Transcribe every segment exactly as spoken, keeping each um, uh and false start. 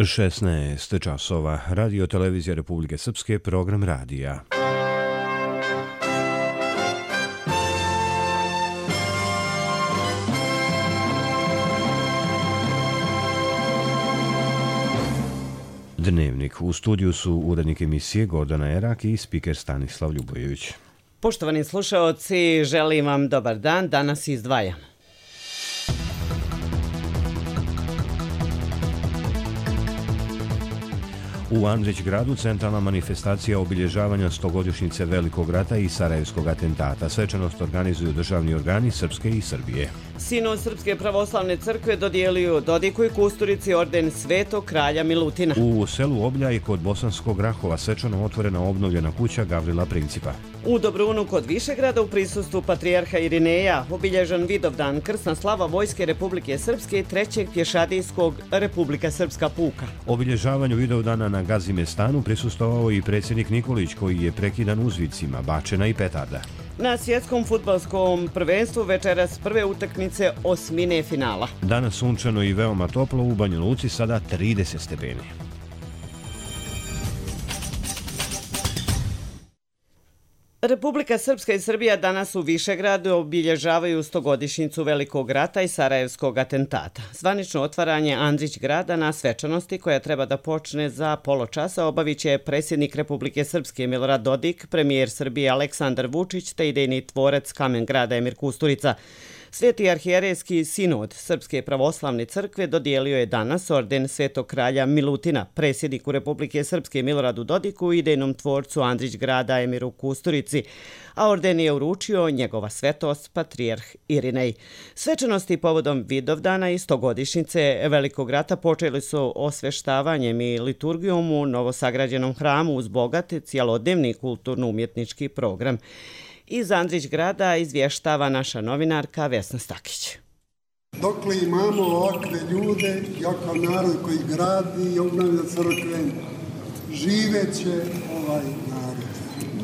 šesnaest časova. Radio Televizija Republike Srpske, program radija. Dnevnik. U studiju su urednik emisije Gordana Erak i spiker Stanislav Ljubojević. Poštovani slušaoci, želim vam dobar dan. Danas izdvajam. U Andrićgradu centralna manifestacija obilježavanja stogodišnjice Velikog rata i Sarajevskog atentata. Svečanost organizuju državni organi Srpske i Srbije. Sinod Srpske pravoslavne crkve dodijelio Dodiku i Kusturici orden Svetog kralja Milutina. U selu Obljaj kod Bosanskog Rahova svečano otvorena obnovljena kuća Gavrila Principa. U Dobrunu kod Višegrada u prisustvu patrijarha Irineja obilježan Vidovdan, krsna slava Vojske Republike Srpske i trećeg pješadijskog Republika Srpska puka. Obilježavanju Vidovdana na Gazimestanu prisustvovao i predsjednik Nikolić, koji je prekidan uzvicima bačena i petarda. Na svjetskom fudbalskom prvenstvu večeras prve utakmice osmine finala. Danas sunčano i veoma toplo, u Banja Luci sada trideset stepeni. Republika Srpska i Srbija danas u Višegradu obilježavaju stogodišnjicu Velikog rata i Sarajevskog atentata. Zvanično otvaranje Andrićgrada na svečanosti, koja treba da počne za pola časa, obavit će predsjednik Republike Srpske Milorad Dodik, premijer Srbije Aleksandar Vučić te idejni tvorac Kamen grada Emir Kusturica. Sveti arhijerejski sinod Srpske pravoslavne crkve dodijelio je danas orden Svetog kralja Milutina, predsjedniku Republike Srpske Miloradu Dodiku i idejnom tvorcu Andrićgrada Emiru Kusturici, a orden je uručio njegova svetost patrijarh Irinej. Svečanosti povodom Vidovdana i stogodišnjice Velikog rata počeli su osveštavanjem i liturgijom u novosagrađenom hramu uz bogat cijelodnevni kulturno-umjetnički program. Iz Andrićgrada izvještava naša novinarka Vesna Stakić. Dokle imamo ovakve ljude, jakav narod koji gradi i obnavlja crkve, živeće ovaj narod.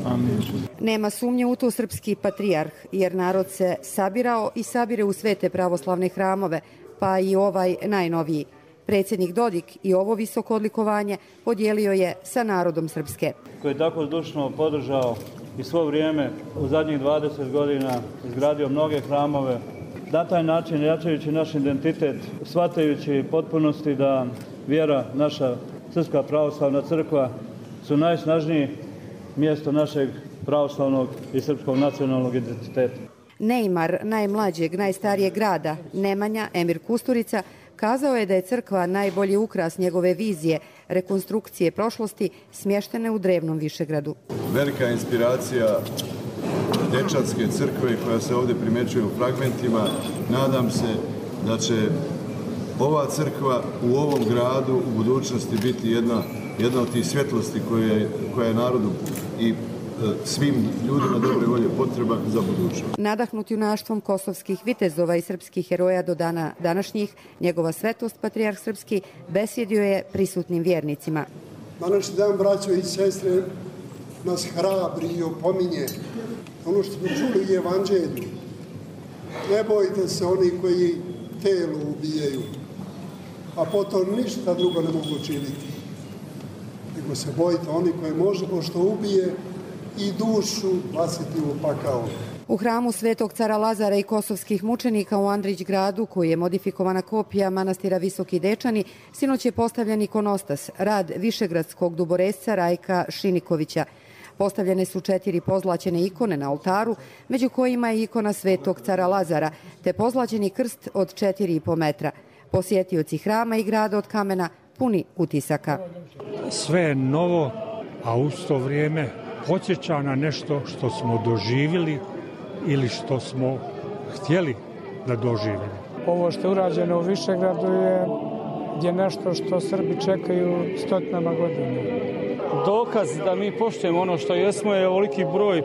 Amin. Nema sumnje u to srpski patrijarh, jer narod se sabirao i sabire u svete pravoslavne hramove, pa i ovaj najnoviji. Predsjednik Dodik i ovo visoko odlikovanje podijelio je sa narodom Srpske. Koji je tako zdušno podržao i svo vrijeme u zadnjih dvadeset godina izgradio mnoge hramove, na taj način jačajući naš identitet, shvatajući potpunosti da vjera, naša Srpska pravoslavna crkva, su najsnažnije mjesto našeg pravoslavnog i srpskog nacionalnog identiteta. Neimar najmlađeg, najstarijeg grada, Nemanja Emir Kusturica, kazao je da je crkva najbolji ukras njegove vizije, rekonstrukcije prošlosti smještene u drevnom Višegradu. Velika inspiracija dečanske crkve koja se ovdje primećuje u fragmentima. Nadam se da će ova crkva u ovom gradu u budućnosti biti jedna, jedna od tih svjetlosti koje, koja je narodu i svim ljudima dobre volje potreba za budućnost. Nadahnuti junaštvom kosovskih vitezova i srpskih heroja do dana današnjih, njegova svetost patrijarh Srpski besjedio je prisutnim vjernicima. Današnji dan, braćo i sestre, nas hrabri i opominje. Ono što smo čuli u evanđelju. Ne bojte se oni koji telo ubijaju, a potom ništa drugo ne mogu učiniti. Nego se bojite oni koji može, pošto ubije, i dušu baciti u pakao. U hramu Svetog cara Lazara i kosovskih mučenika u Andrićgradu, koji je modifikovana kopija manastira Visoki Dečani, sinoć je postavljen ikonostas, rad višegradskog duboresca Rajka Šinikovića. Postavljene su četiri pozlaćene ikone na oltaru, među kojima je ikona Svetog cara Lazara, te pozlaćeni krst od četiri i po metra. Posjetioci hrama i grada od kamena puni utisaka. Sve je novo, a u to vrijeme podsjeća na nešto što smo doživjeli ili što smo htjeli da doživimo. Ovo što je urađeno u Višegradu je, je nešto što Srbi čekaju stotinama godina. Dokaz da mi poštujemo ono što jesmo je ovoliki broj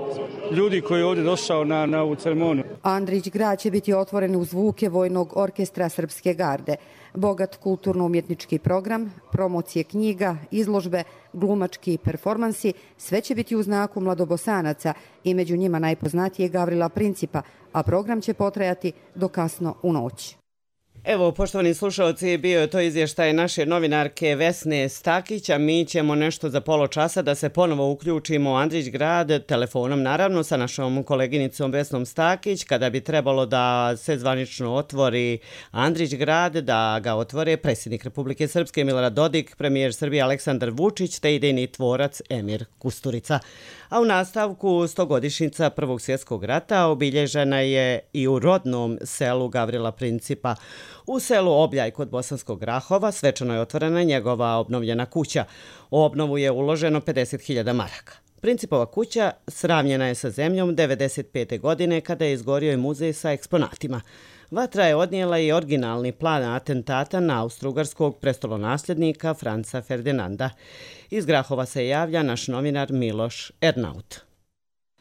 ljudi koji je ovdje došao na, na ovu ceremoniju. Andrićgrad će biti otvoren uz zvuke Vojnog orkestra Srpske garde. Bogat kulturno-umjetnički program, promocije knjiga, izložbe, glumački performansi, sve će biti u znaku mladobosanaca i među njima najpoznatije Gavrila Principa, a program će potrajati do kasno u noć. Evo, poštovani slušalci, bio je to izvještaj naše novinarke Vesne Stakić, a mi ćemo nešto za polo časa da se ponovo uključimo u Andrić grad, telefonom naravno sa našom koleginicom Vesnom Stakić, kada bi trebalo da se zvanično otvori Andrić grad, da ga otvore predsjednik Republike Srpske Milorad Dodik, premijer Srbije Aleksandar Vučić te idejni tvorac Emir Kusturica. A u nastavku stogodišnjica Prvog svjetskog rata obilježena je i u rodnom selu Gavrila Principa. U selu Obljaj kod Bosanskog Grahova svečano je otvorena njegova obnovljena kuća. U obnovu je uloženo pedeset hiljada maraka. Principova kuća sravnjena je sa zemljom devedeset pete godine kada je izgorio i muzej sa eksponatima. Vatra je odnijela i originalni plan atentata na austrougarskog prestolonasljednika Franca Ferdinanda. Iz Grahova se javlja naš novinar Miloš Ernaut.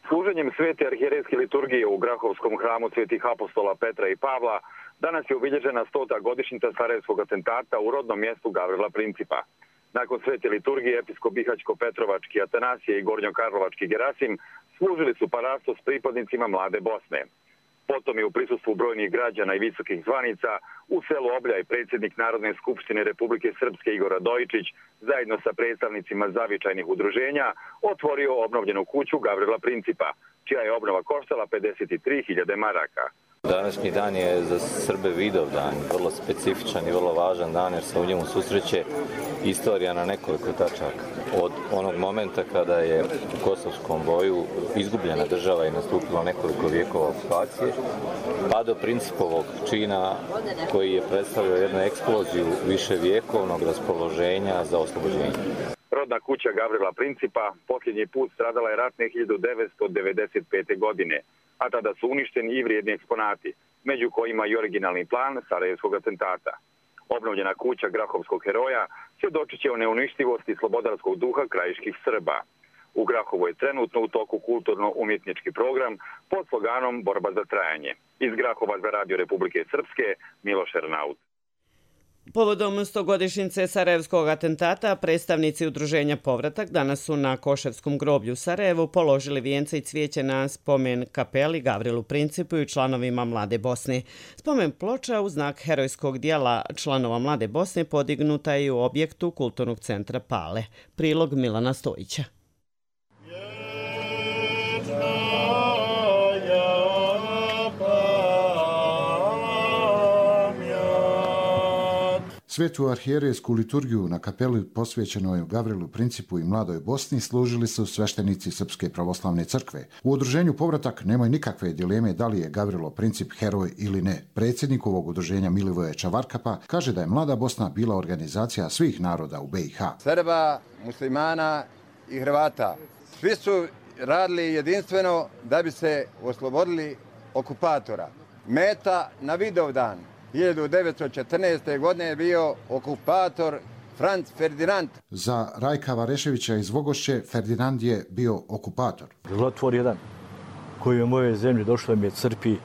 Služenjem svete arhijerejske liturgije u Grahovskom hramu svetih apostola Petra i Pavla danas je obilježena stota godišnjica Sarajevskog atentata u rodnom mjestu Gavrila Principa. Nakon svete liturgije episkop Bihaćko-Petrovački Atanasije i Gornjokarlovački Gerasim služili su parasto s pripadnicima Mlade Bosne. Potom je u prisustvu brojnih građana i visokih zvanica u selu Obljaj predsjednik Narodne skupštine Republike Srpske Igor Radojičić zajedno sa predstavnicima zavičajnih udruženja otvorio obnovljenu kuću Gavrila Principa, čija je obnova koštala pedeset tri hiljade maraka. Današnji dan je za Srbe Vidov dan, vrlo specifičan i vrlo važan dan jer se u njemu susreće istorija na nekoliko tačaka. Od onog momenta kada je u kosovskom boju izgubljena država i nastupilo nekoliko vijekova okupacije, pa do Principovog čina koji je predstavljao jednu eksploziju viševjekovnog raspoloženja za oslobođenje. Rodna kuća Gavrila Principa posljednji put stradala je ratne hiljadu devetsto devedeset pete. godine, a tada su uništeni i vrijedni eksponati, među kojima i originalni plan Sarajevskog atentata. Obnovljena kuća Grahovskog heroja svjedočit će o neuništivosti slobodarskog duha krajiških Srba. U Grahovu je trenutno u toku kulturno-umjetnički program pod sloganom Borba za trajanje. Iz Grahova za Radio Republike Srpske, Miloš Ernaut. Povodom stogodišnjice Sarajevskog atentata, predstavnici udruženja Povratak danas su na Koševskom groblju u Sarajevu položili vijence i cvijeće na spomen kapeli Gavrilu Principu i članovima Mlade Bosne. Spomen ploča u znak herojskog dijela članova Mlade Bosne podignuta je u objektu Kulturnog centra Pale. Prilog Milana Stojića. Svetu arhijerejsku liturgiju na kapeli posvećenoj Gavrilu Principu i Mladoj Bosni služili su sveštenici Srpske pravoslavne crkve. U udruženju Povratak nemaju nikakve dileme da li je Gavrilo Princip heroj ili ne. Predsjednik ovog udruženja Milivoje Čavarkapa kaže da je Mlada Bosna bila organizacija svih naroda u B i H. Srba, muslimana i Hrvata. Svi su radili jedinstveno da bi se oslobodili okupatora. Meta na Vidovdan hiljadu devetsto četrnaeste. godine je bio okupator Franc Ferdinand. Za Rajka Vareševića iz Vogošće Ferdinand je bio okupator. Zlotvor jedan koji je u moje zemlji došlo mi je crpi,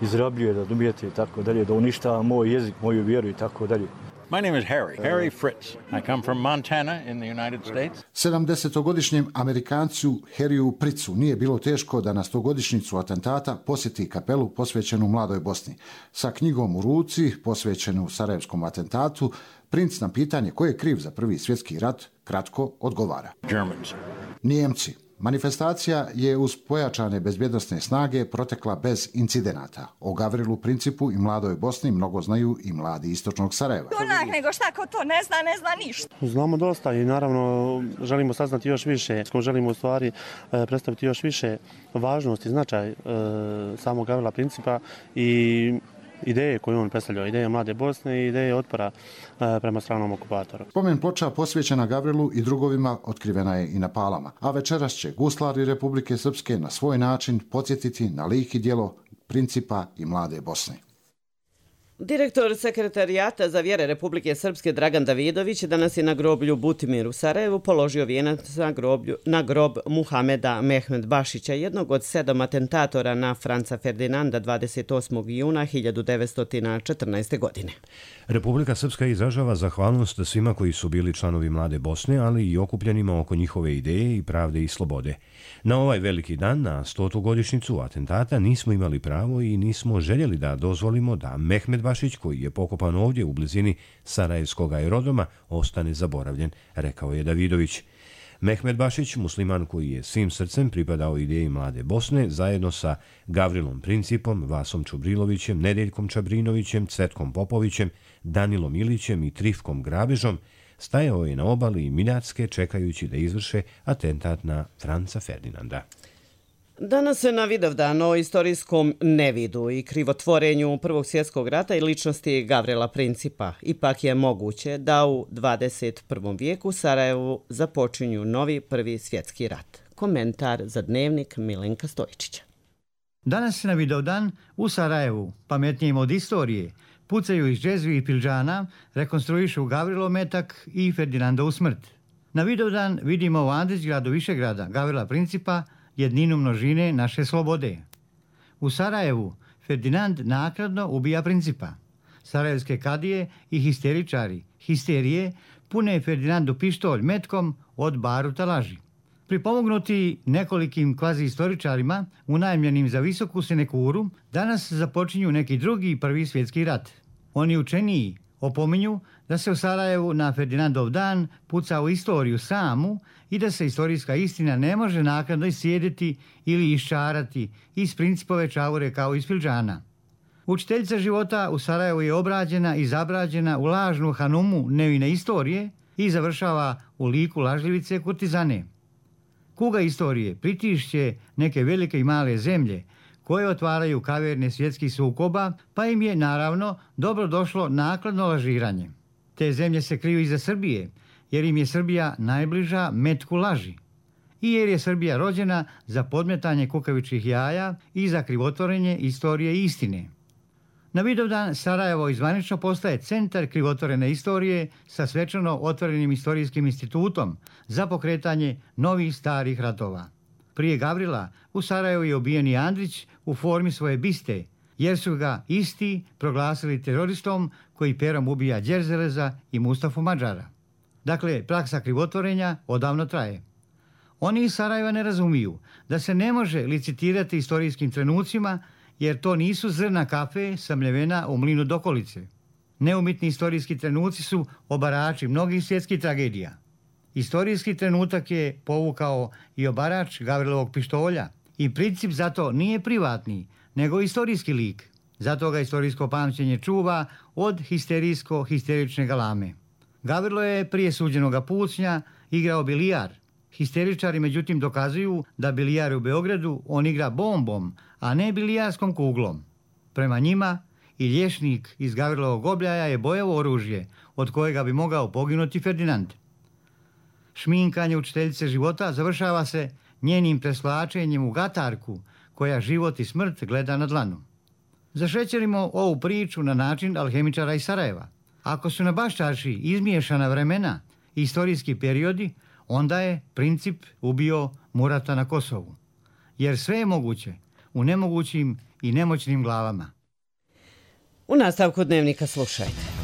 izrabljuje, da dumijete i tako dalje, da uništava moj jezik, moju vjeru i tako dalje. My name is Harry, Harry Fritz. I come from Montana in the United States. sedamdesetogodišnjem Amerikancu Harryu Fritzu nije bilo teško da na stogodišnjicu atentata posjeti kapelu posvećenu Mladoj Bosni. Sa knjigom u ruci, posvećenu Sarajevskom atentatu, princ na pitanje ko je kriv za Prvi svjetski rat kratko odgovara. Germans. Nijemci. Manifestacija je uz pojačane bezbjednosne snage protekla bez incidenata. O Gavrilu Principu i Mladoj Bosni mnogo znaju i mladi istočnog Sarajeva. Onak, nego šta ko to ne zna, ne zna ništa. Znamo dosta i naravno želimo saznati još više. Želimo u stvari predstaviti još više važnosti i značaj samog Gavrila Principa i ideje koje on predstavljao, ideje Mlade Bosne i ideje otpora prema stranom okupatoru. Spomen ploča posvećena Gavrilu i drugovima otkrivena je i na Palama, a večeras će guslari Republike Srpske na svoj način podsjetiti na lik i djelo Principa i Mlade Bosne. Direktor Sekretarijata za vjere Republike Srpske Dragan Davidović danas je na groblju Butimir u Sarajevu položio vijenac na, groblju, na grob Muhameda Mehmed Bašića, jednog od sedam atentatora na Franca Ferdinanda dvadeset osmog juna hiljadu devetsto četrnaeste. godine. Republika Srpska izražava zahvalnost svima koji su bili članovi Mlade Bosne, ali i okupljenima oko njihove ideje i pravde i slobode. Na ovaj veliki dan, na stotu godišnjicu atentata, nismo imali pravo i nismo željeli da dozvolimo da Mehmed Bašić, koji je pokopan ovdje u blizini Sarajevskog aerodroma, ostane zaboravljen, rekao je Davidović. Mehmet Bašić, musliman koji je svim srcem pripadao ideji Mlade Bosne, zajedno sa Gavrilom Principom, Vasom Čubrilovićem, Nedeljkom Čabrinovićem, Cvetkom Popovićem, Danilom Ilićem i Trifkom Grabežom, stajao je na obali Miljacke čekajući da izvrše atentat na Franca Ferdinanda. Danas se na Vidovdan o istorijskom nevidu i krivotvorenju Prvog svjetskog rata i ličnosti Gavrila Principa. Ipak je moguće da u dvadeset prvom vijeku Sarajevu započinju novi Prvi svjetski rat. Komentar za Dnevnik Milenka Stojičića. Danas na Vidovdan u Sarajevu, pametnijim od istorije, pucaju iz džezvi i pilđana, rekonstruišu Gavrilov metak i Ferdinandov smrt. Na Vidovdan vidimo u Andrićgradu Višegrada Gavrila Principa jedninu množine naše slobode. U Sarajevu Ferdinand nakradno ubija Principa. Sarajevske kadije i histeričari, histerije, pune Ferdinandu pištolj metkom od baruta laži. Pripomognuti nekolikim kvazi-istoričarima, unajmljenim za visoku sinekuru, danas započinju neki drugi Prvi svjetski rat. Oni učeniji opominju da se u Sarajevu na Ferdinandov dan puca u istoriju samu i da se istorijska istina ne može naknadno iscijediti ili iščarati iz Principove čavure kao iz pilđana. Učiteljica života u Sarajevu je obrađena i zabrađena u lažnu hanumu nevine istorije i završava u liku lažljivice kurtizane. Kuga istorije pritišće neke velike i male zemlje koje otvaraju kaverne svjetskih sukoba, pa im je, naravno, dobro došlo nakladno lažiranje. Te zemlje se kriju iza Srbije, jer im je Srbija najbliža metku laži. I jer je Srbija rođena za podmetanje kukavičjih jaja i za krivotvorenje istorije i istine. Na Vidovdan Sarajevo izvanično postaje centar krivotvorene istorije sa svečano otvorenim istorijskim institutom za pokretanje novih starih ratova. Prije Gavrila u Sarajevu je ubijen i Andrić u formi svoje biste, jer su ga isti proglasili teroristom koji perom ubija Đerzeleza i Mustafu Mađara. Dakle, praksa krivotvorenja odavno traje. Oni iz Sarajeva ne razumiju da se ne može licitirati istorijskim trenucima, jer to nisu zrna kafe samljevena u mlinu dokolice. Neumitni istorijski trenuci su obarači mnogih svjetskih tragedija. Istorijski trenutak je povukao i obarač Gavrilovog pištolja i Princip zato nije privatni, nego istorijski lik. Zato ga istorijsko pamćenje čuva od histerijsko-histerične galame. Gavrilo je prije suđenoga pucnja igrao bilijar. Histeričari međutim dokazuju da bilijar u Beogradu on igra bombom, a ne bilijarskom kuglom. Prema njima i liječnik iz Gavrilovog obljaja je bojevo oružje od kojega bi mogao poginuti Ferdinand. Šminkanje učiteljice života završava se njenim preslačenjem u gatarku koja život i smrt gleda na dlanu. Zašećerimo ovu priču na način alhemičara iz Sarajeva. Ako su na Baščarši izmiješana vremena i istorijski periodi, onda je Princip ubio Murata na Kosovu. Jer sve je moguće u nemogućim i nemoćnim glavama. U nastavku Dnevnika slušajte.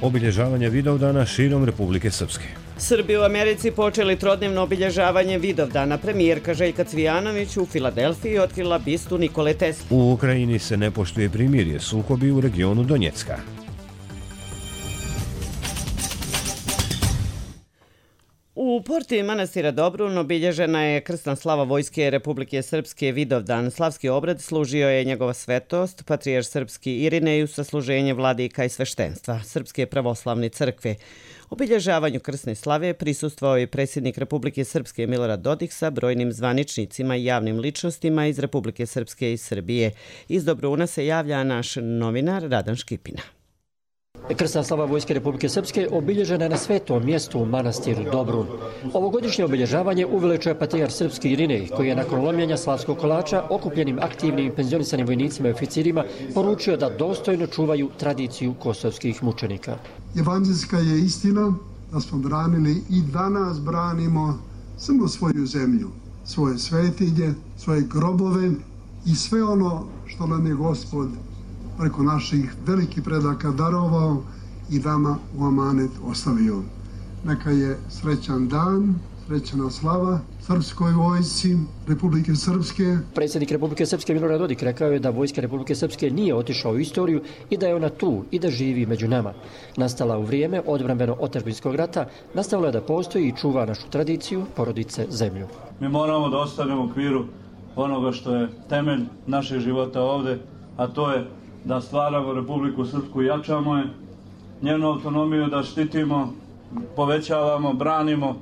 Obilježavanje Vidovdana širom Republike Srpske. Srbi u Americi počeli trodnevno obilježavanje Vidovdana. Premijerka Željka Cvijanović u Filadelfiji otkrila bistu Nikole Tesle. U Ukrajini se ne poštuje primirje, sukobi u regionu Donjecka. U porti manastira Dobrun obilježena je krsna slava Vojske Republike Srpske Vidovdan. Slavski obrad služio je njegova svetost, patrijarh srpski Irinej, sa služenje vladika i sveštenstva Srpske pravoslavne crkve. Obilježavanju krsne slave prisustvovao je predsjednik Republike Srpske Milorad Dodik sa brojnim zvaničnicima i javnim ličnostima iz Republike Srpske i Srbije. Iz Dobruna se javlja naš novinar Radan Škipina. Krsna slava Vojske Republike Srpske obilježena je na svetom mjestu u manastiru Dobrun. Ovogodišnje obilježavanje uveličuje patrijarh srpski Irinej, koji je nakon lomljenja slavskog kolača okupljenim aktivnim i penzionisanim vojnicima i oficirima poručio da dostojno čuvaju tradiciju kosovskih mučenika. Evanđelska je istina da smo branili i danas branimo samo svoju zemlju, svoje svetinje, svoje grobove i sve ono što nam je Gospod preko naših velikih predaka darovao i dama u amanet ostavio. Neka je srećan dan srećna slava Srpskoj vojsci Republike Srpske. Predsjednik Republike Srpske Milorad Dodik rekao je da vojska Republike Srpske nije otišla u istoriju i da je ona tu i da živi među nama. Nastala u vrijeme odbrambeno-otadžbinskog rata, nastavila je da postoji i čuva našu tradiciju, porodice, zemlju. Mi moramo da ostanemo u okviru onoga što je temelj našeg života ovde, a to je da stvaramo Republiku Srpsku i jačamo je, njenu autonomiju da štitimo, povećavamo, branimo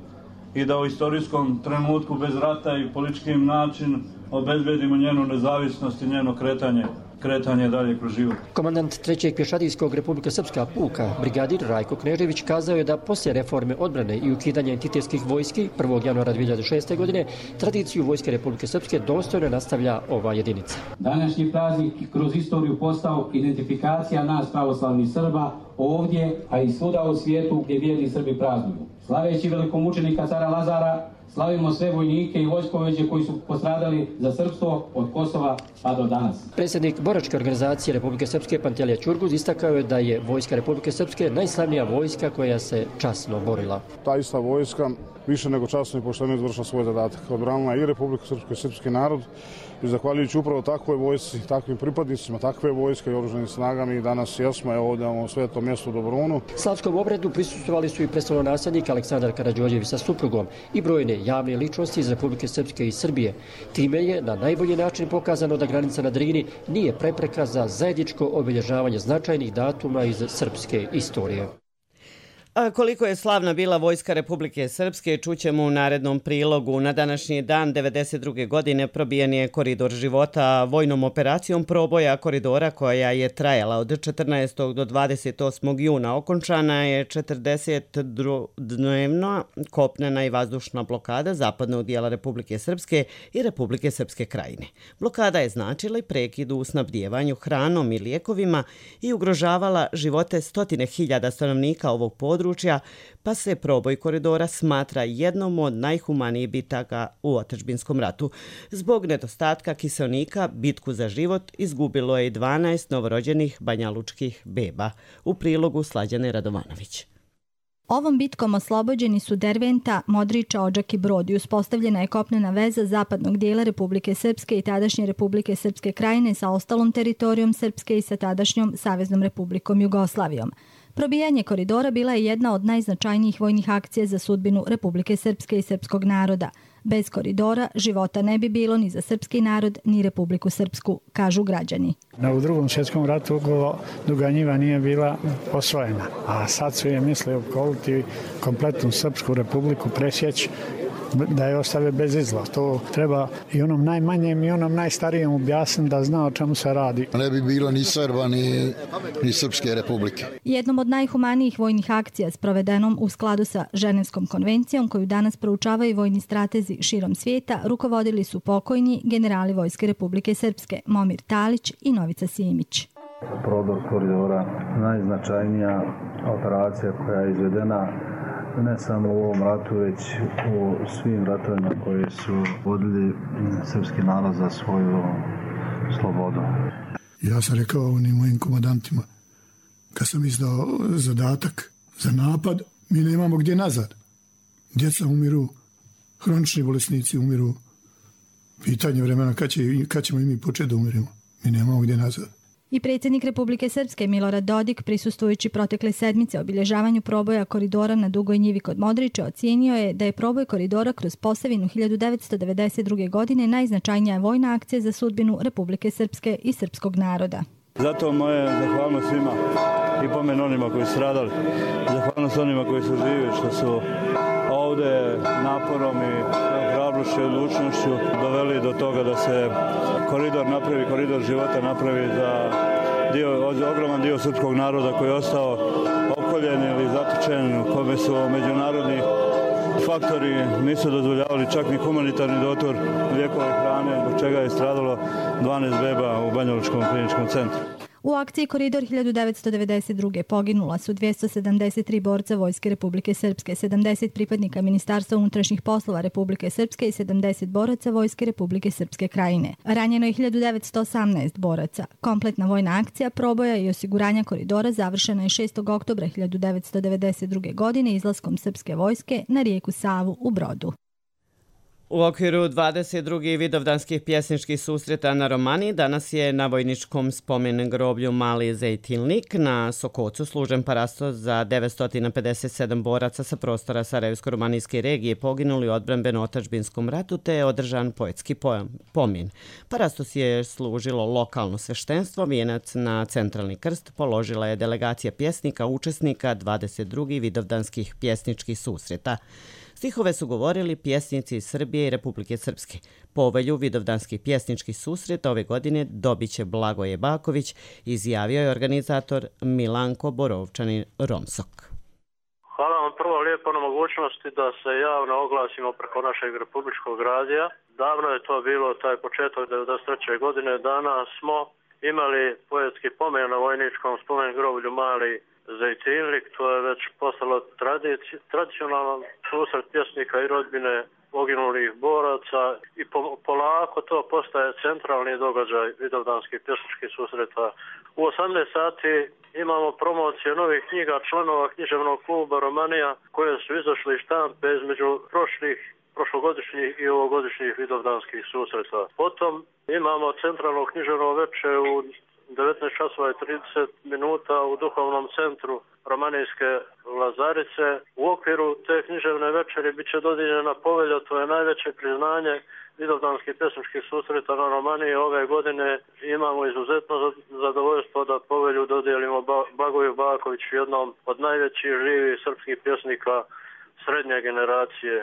i da u istorijskom trenutku bez rata i političkim načinom obezbedimo njenu nezavisnost i njeno kretanje, kretanje dalje kroz život. Komandant trećeg pješadijskog Republika Srpska puka, brigadir Rajko Knežević, kazao je da poslije reforme odbrane i ukidanja entitetskih vojski prvog januara dvije hiljade šeste. godine tradiciju vojske Republike Srpske dostojno nastavlja ova jedinica. Današnji praznik kroz istoriju postao identifikacija nas pravoslavnih Srba ovdje, a i svuda u svijetu gdje vjerni Srbi praznuju. Slaveći velikomučenika cara Lazara, slavimo sve vojnike i vojskovođe koji su postradali za srpstvo od Kosova pa do danas. Predsjednik boračke organizacije Republike Srpske Pantelija Ćurguz istakao je da je vojska Republike Srpske najslavnija vojska koja se časno borila. Ta ista vojska više nego časno i pošteno izvršila svoj zadatak. Odbranila i Republiku Srpsku i srpski narod i zahvaljujući upravo takvoj vojsci, takvim pripadnicima, takve vojske i oružanim snagama i danas jesmo ovdje u svetom mjestu u Dobrunu. Slavskom obredu prisustvovali su i prestolonaslednik Aleksandar Karađorđević sa suprugom i brojne javne ličnosti iz Republike Srpske i Srbije. Time je na najbolji način pokazano da granica na Drini nije prepreka za zajedničko obilježavanje značajnih datuma iz srpske istorije. A koliko je slavna bila vojska Republike Srpske, čućemo u narednom prilogu. Na današnji dan devedeset druge. godine probijen je koridor života vojnom operacijom proboja koridora koja je trajala od četrnaestog do dvadeset osmog juna. Okončana je četrdesetdnevna kopnena i vazdušna blokada zapadnog dijela Republike Srpske i Republike Srpske krajine. Blokada je značila i prekid u snabdijevanju hranom i lijekovima i ugrožavala živote stotine hiljada stanovnika ovog područja, pa se proboj koridora smatra jednom od najhumanijih bitaka u otadžbinskom ratu. Zbog nedostatka kiseonika, bitku za život izgubilo je i dvanaest novorođenih banjalučkih beba. U prilogu Slađane Radovanović. Ovom bitkom oslobođeni su Derventa, Modriča, Odžak i Brod i uspostavljena je kopnena veza zapadnog dijela Republike Srpske i tadašnje Republike Srpske krajine sa ostalom teritorijom Srpske i sa tadašnjom Saveznom Republikom Jugoslavijom. Probijanje koridora bila je jedna od najznačajnijih vojnih akcija za sudbinu Republike Srpske i srpskog naroda. Bez koridora života ne bi bilo ni za srpski narod, ni Republiku Srpsku, kažu građani. U drugom svjetskom ratu Duga Njiva nije bila osvojena, a sad su je misli opkoliti kompletnu Srpsku republiku, presjeći da je ostave bez izla. To treba i onom najmanjem i onom najstarijem objasniti da zna o čemu se radi. Ne bi bilo ni Srba ni, ni Srpske republike. Jednom od najhumanijih vojnih akcija sprovedenom u skladu sa Ženevskom konvencijom koju danas proučavaju vojni stratezi širom svijeta rukovodili su pokojni generali Vojske Republike Srpske Momir Talić i Novica Simić. Prodor koridora najznačajnija operacija koja je izvedena ne samo u ovom ratu, već u svim ratovima koje su vodili srpski narod za svoju slobodu. Ja sam rekao onim mojim komandantima, kad sam izdao zadatak za napad, mi nemamo gdje nazad. Djeca umiru, hronični bolesnici umiru. Pitanje vremena kad, će, kad ćemo i mi početi da umirimo. Mi nemamo gdje nazad. I predsjednik Republike Srpske Milorad Dodik, prisustvujući protekle sedmice obilježavanju proboja koridora na Dugoj Njivi kod Modriča, ocijenio je da je proboj koridora kroz Posavinu hiljadu devetsto devedeset druge. godine najznačajnija vojna akcija za sudbinu Republike Srpske i srpskog naroda. Zato moje zahvalnost svima i pomen onima koji su stradali, zahvalnost onima koji su živi, što su ovdje naporom i hrabrošću i odlučnošću doveli do toga da se koridor napravi, koridor života napravi za dio, ogroman dio srpskog naroda koji je ostao opkoljen ili zatočen, u kome su međunarodni faktori nisu dozvoljavali čak ni humanitarni dotor lijekova i hrane, zbog čega je stradalo dvanaest beba u Banjalučkom kliničkom centru. U akciji Koridor hiljadu devetsto devedeset druge. poginula su dvjesto sedamdeset tri borca Vojske Republike Srpske, sedamdeset pripadnika Ministarstva unutrašnjih poslova Republike Srpske i sedamdeset boraca Vojske Republike Srpske Krajine. Ranjeno je hiljadu devetsto osamnaest boraca. Kompletna vojna akcija proboja i osiguranja koridora završena je šestog oktobra hiljadu devetsto devedeset druge. godine izlaskom srpske vojske na rijeku Savu u Brodu. U okviru dvadeset drugih vidovdanskih pjesničkih susreta na Romaniji danas je na vojničkom spomen groblju Mali Zejtilnik na Sokocu služen parastos za devetsto pedeset sedam boraca sa prostora Sarajevsko-romanijske regije poginuli u odbrambeno-otadžbinskom ratu te je održan poetski pomin. Parastos je služilo lokalno sveštenstvo, vijenac na centralni krst položila je delegacija pjesnika učesnika dvadeset drugih vidovdanskih pjesničkih susreta. Stihove su govorili pjesnici iz Srbije i Republike Srpske. Povelju vidovdanskih pjesničkih susreta ove godine dobit će Blagoje Baković, izjavio je organizator Milanko Borovčanin Romsok. Hvala vam prvo lijepo na mogućnosti da se javno oglasimo preko našeg republičkog radija. Davno je to bilo, taj početak devedeset treće. godine. Danas smo imali poetski pomen na vojničkom spomen groblju Mali Zejtilnik. To je već postalo tradicionalan susret pjesnika i rodbine poginulih boraca i po, polako to postaje centralni događaj vidovdanskih pjesničkih susreta. U osamnaest sati imamo promocije novih knjiga članova književnog kluba Romanija koje su izašli iz štampe između prošlih prošlogodišnjih i ovogodišnjih vidovdanskih susreta. Potom imamo centralno književno večer u devetnaest časova i trideset minuta u duhovnom centru Romanijske Lazarice. U okviru te književne večeri bit će dodijeljena povelja, to je najveće priznanje vidovdanskih pjesničkih susreta na Romaniji. Ove godine imamo izuzetno zadovoljstvo da povelju dodijelimo Blagoju Bakoviću, jednom od najvećih živih srpskih pjesnika srednje generacije.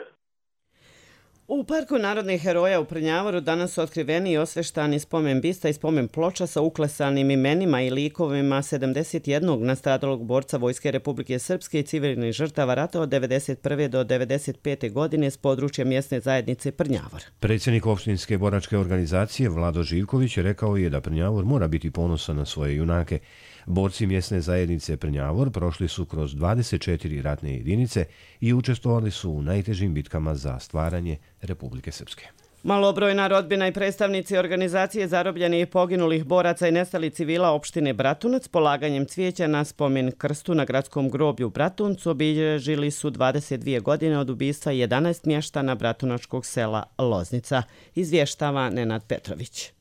U Parku narodnih heroja u Prnjavoru danas su otkriveni i osveštani spomen bista i spomen ploča sa uklesanim imenima i likovima sedamdeset jednog nastradalog borca Vojske Republike Srpske i civilnih žrtava rata od devedeset prve do devedeset pete. godine s područja mjesne zajednice Prnjavor. Predsjednik opštinske boračke organizacije Vlado Živković rekao je da Prnjavor mora biti ponosan na svoje junake. Borci mjesne zajednice Prnjavor prošli su kroz dvadeset četiri ratne jedinice i učestvovali su u najtežim bitkama za stvaranje Republike Srpske. Malobrojna rodbina i predstavnici organizacije zarobljenih i poginulih boraca i nestali civila opštine Bratunac polaganjem cvijeća na spomen krstu na gradskom groblju u Bratuncu obilježili su dvadeset dvije godine od ubistva jedanaest mještana bratunačkog sela Loznica, izvještava Nenad Petrović.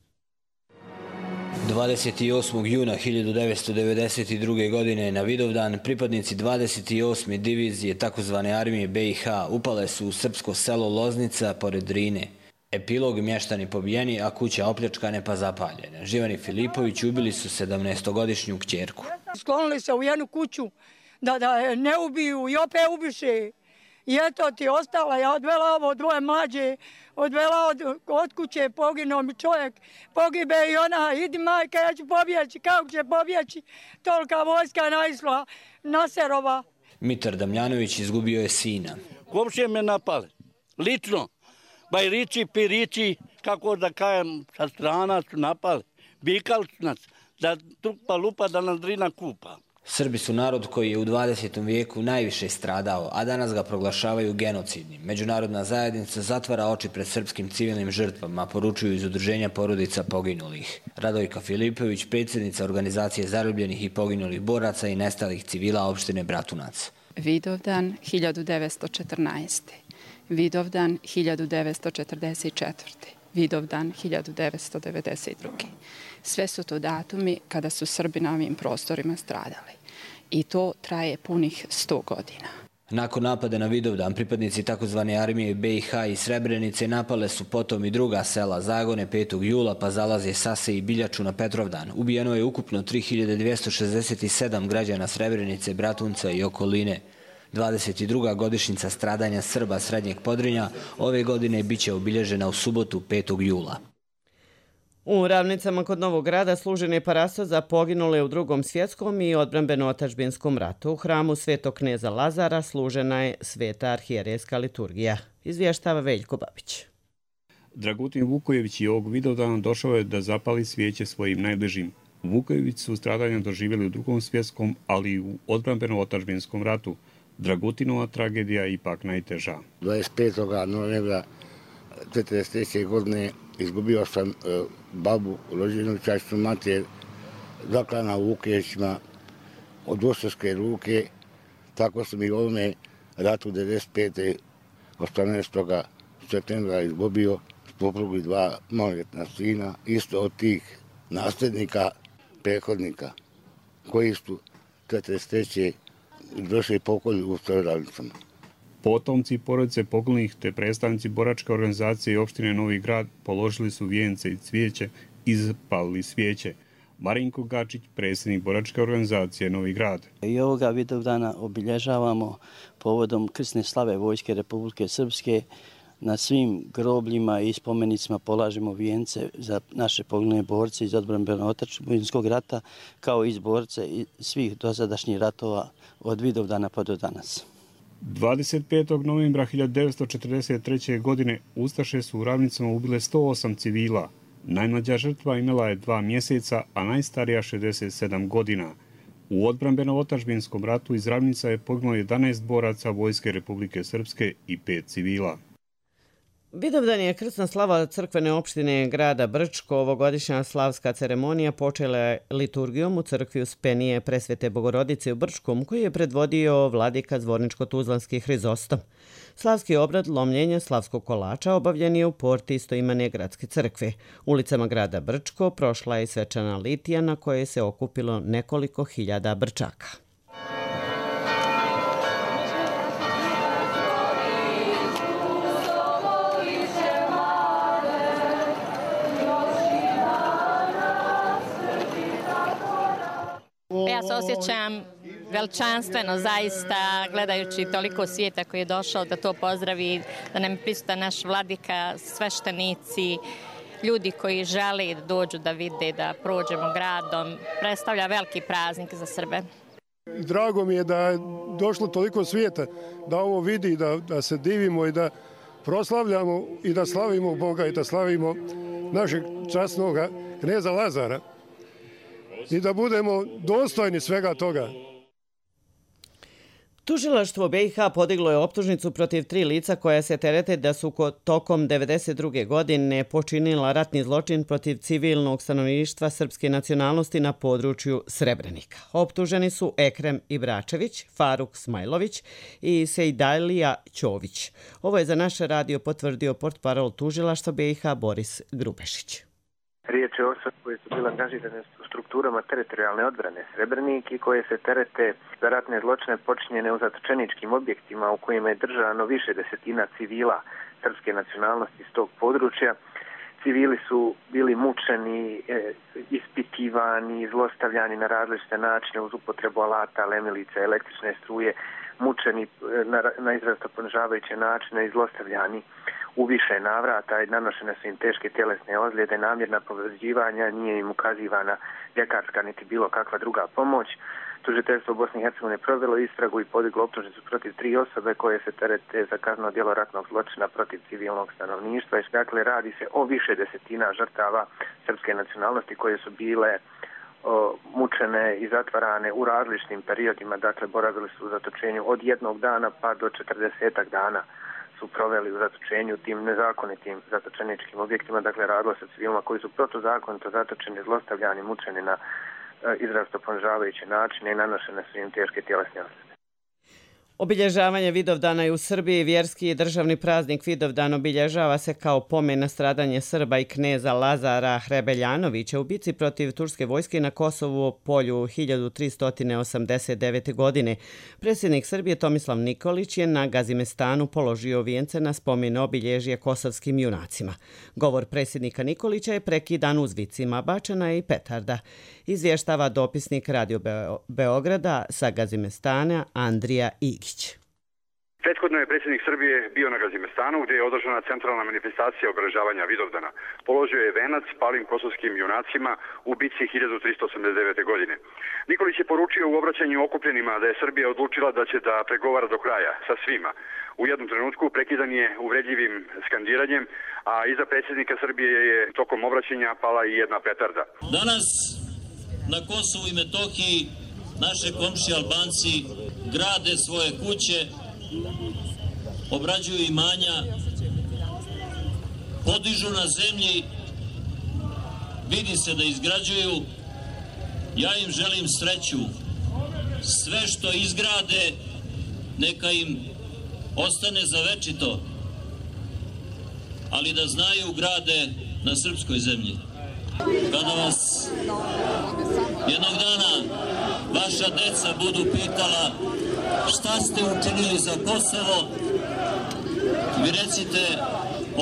dvadeset osmog juna hiljadu devetsto devedeset druge. godine na Vidovdan pripadnici dvadeset osme divizije takozvane armije be i ha upale su u srpsko selo Loznica pored Drine. Epilog: mještani pobijeni, a kuća opljačkane pa zapaljene. Živani Filipović ubili su sedamnaestogodišnju kćerku. Sklonili se u jednu kuću da, da je ne ubiju i opet ubiše. I eto ti ostala, ja odvela ovo dvoje mlađe, odvela od, od kuće, poginuo mi čovjek, pogibe i ona, idi majka, ja ću pobjeći, kako će pobjeći, tolika vojska naisla, Naserova. Mitar Damljanović izgubio je sina. Komšije me napale, lično, bajrići, pirići, kako da kajem, sa strana su napali, bikali su nas, da trupa lupa, da nas Drina kupa. Srbi su narod koji je u dvadesetom vijeku najviše stradao, a danas ga proglašavaju genocidnim. Međunarodna zajednica zatvara oči pred srpskim civilnim žrtvama, poručuju iz udruženja porodica poginulih. Radojka Filipović, predsjednica organizacije zarobljenih i poginulih boraca i nestalih civila opštine Bratunac. Vidovdan hiljadu devetsto četrnaeste. Vidovdan hiljadu devetsto četrdeset četvrte. Vidovdan hiljadu devetsto devedeset druge. Sve su to datumi kada su Srbi na ovim prostorima stradali. I to traje punih sto godina. Nakon napada na Vidovdan, pripadnici takozvane armije be i ha i Srebrenice napale su potom i druga sela Zagone petog jula, pa Zalazje, Sase i Biljaču na Petrovdan. Ubijeno je ukupno tri hiljade dvjesto šezdeset sedam građana Srebrenice, Bratunca i okoline. dvadeset druga godišnjica stradanja Srba Srednjeg Podrinja ove godine biće obilježena u subotu petog jula. U Ravnicama kod Novog Grada služen je parastos za poginule u Drugom svjetskom i odbrambeno-otadžbinskom ratu. U hramu Svetog kneza Lazara služena je sveta arhijerejska liturgija, izvještava Veljko Babić. Dragutin Vukojević i ovog Vidovdana došao je da zapali svijeće svojim najbližim. Vukojevići su stradanja doživjeli u drugom svjetskom, ali i u odbrambeno-otadžbinskom ratu. Dragutinova tragedija je ipak najteža. dvadeset petog novembra četrdeset treće godine izgubio sam babu, rođenu čašću mater, zaklana u Vukojevićima od dvostruke ruke. Tako sam i u ovome ratu devedeset pete osamnaestog septembra izgubio suprugu i dva maloljetna sina, isto od tih nasljednika, prethodnika, koji su četrdeset treće došli pokolju u Stradalnicama. Potomci porodice pokolnih te predstavnici boračke organizacije i opštine Novi Grad položili su vijence i cvijeće i zapalili svijeće. Marinko Gačić, predsjednik boračke organizacije Novi Grad. I ovoga Vidovdana obilježavamo povodom krsne slave Vojske Republike Srpske. Na svim grobljima i spomenicima polažemo vijence za naše poginule borce iz odbrambeno-otadžbinskog rata, kao i iz borce i svih dosadašnjih ratova od Vidovdana pa do danas. dvadeset petog novembra hiljadu devetsto četrdeset treće. godine ustaše su u Ravnicama ubile sto osam civila. Najmlađa žrtva imala je dva mjeseca, a najstarija šezdeset sedam godina. U odbrambeno-otadžbinskom ratu iz Ravnica je poginulo jedanaest boraca Vojske Republike Srpske i pet civila. Vidovdan je krsna slava crkvene opštine grada Brčko. Ovogodišnja slavska ceremonija počela je liturgijom u crkvi Uspenije Presvete Bogorodice u Brčkom, koji je predvodio vladika Zvorničko-Tuzlanski Hrizostom. Slavski obrad lomljenja slavskog kolača obavljen je u porti istoimene gradske crkve. Ulicama grada Brčko prošla je svečana litija na kojoj se okupilo nekoliko hiljada Brčaka. Ja se osjećam veličanstveno, zaista, gledajući toliko svijeta koji je došao da to pozdravi, da nam je prisutan naš vladika, sveštenici, ljudi koji žele da dođu da vide, da prođemo gradom. Predstavlja veliki praznik za Srbe. Drago mi je da je došlo toliko svijeta da ovo vidi, da, da se divimo i da proslavljamo i da slavimo Boga i da slavimo našeg časnog kneza Lazara. I da budemo dostojni svega toga. Tužilaštvo B i H podiglo je optužnicu protiv tri lica koja se terete da su tokom devedeset druge. godine počinila ratni zločin protiv civilnog stanovništva srpske nacionalnosti na području Srebrenika. Optuženi su Ekrem Ibračević, Faruk Smajlović i Sejdalija Ćović. Ovo je za naš radio potvrdio portparol tužilaštva B i H Boris Grubešić. Riječ je o osobi koje su bile angažirane u strukturama teritorijalne odbrane Srebrenik i koje se terete za ratne zločine počinjene u zatočeničkim objektima u kojima je držano više desetina civila srpske nacionalnosti iz tog područja. Civili su bili mučeni, ispitivani, zlostavljani na različite načine uz upotrebu alata, lemilice, električne struje, mučeni na, na izrazito ponižavajuće načine i zlostavljani u više navrata i nanošene su im teške tjelesne ozljede, namjerna povređivanja, nije im ukazivana ljekarska niti bilo kakva druga pomoć. Tužiteljstvo Bosne i Hercegovine provelo istragu i podiglo optužnicu protiv tri osobe koje se terete za kazneno djelo ratnog zločina protiv civilnog stanovništva. Dakle, radi se o više desetina žrtava srpske nacionalnosti koje su bile o, mučene i zatvarane u različitim periodima. Dakle, boravili su u zatočenju od jednog dana pa do četrdesetak dana su proveli u zatočenju tim nezakonitim zatočeničkim objektima. Dakle, radilo se civilima koji su protuzakonito zatočeni, zlostavljani, mučeni na izrazito ponižavajuće načine i nanošene su im teške tjelesne ozljede. Obilježavanje Vidovdana je u Srbiji vjerski i državni praznik. Vidovdan obilježava se kao pomen na stradanje Srba i kneza Lazara Hrebeljanovića u bici protiv turske vojske na Kosovu polju hiljadu tristo osamdeset devete. godine. Predsjednik Srbije Tomislav Nikolić je na Gazimestanu položio vijence na spomen obilježje kosovskim junacima. Govor predsjednika Nikolića je prekidan uzvicima bačena i petarda. Izvještava dopisnik Radio Beograda sa Gazimestana Andrija Igić. Prethodno je predsjednik Srbije bio na Gazimestanu gdje je održana centralna manifestacija obeležavanja Vidovdana. Položio je venac palim kosovskim junacima u bici hiljadu tristo osamdeset devete. godine. Nikolić je poručio u obraćanju okupljenima da je Srbija odlučila da će da pregovara do kraja sa svima. U jednom trenutku prekidan je uvredljivim skandiranjem, a iza predsjednika Srbije je tokom obraćanja pala i jedna petarda. Danas na Kosovu i Metohiji naše komšije Albanci grade svoje kuće, obrađuju imanja, podižu na zemlji, vidi se da izgrađuju. Ja im želim sreću. Sve što izgrade, neka im ostane za večito, ali da znaju grade na srpskoj zemlji. Kada vas jednog dana vaša deca budu pitala šta ste učinili za Kosovo, vi recite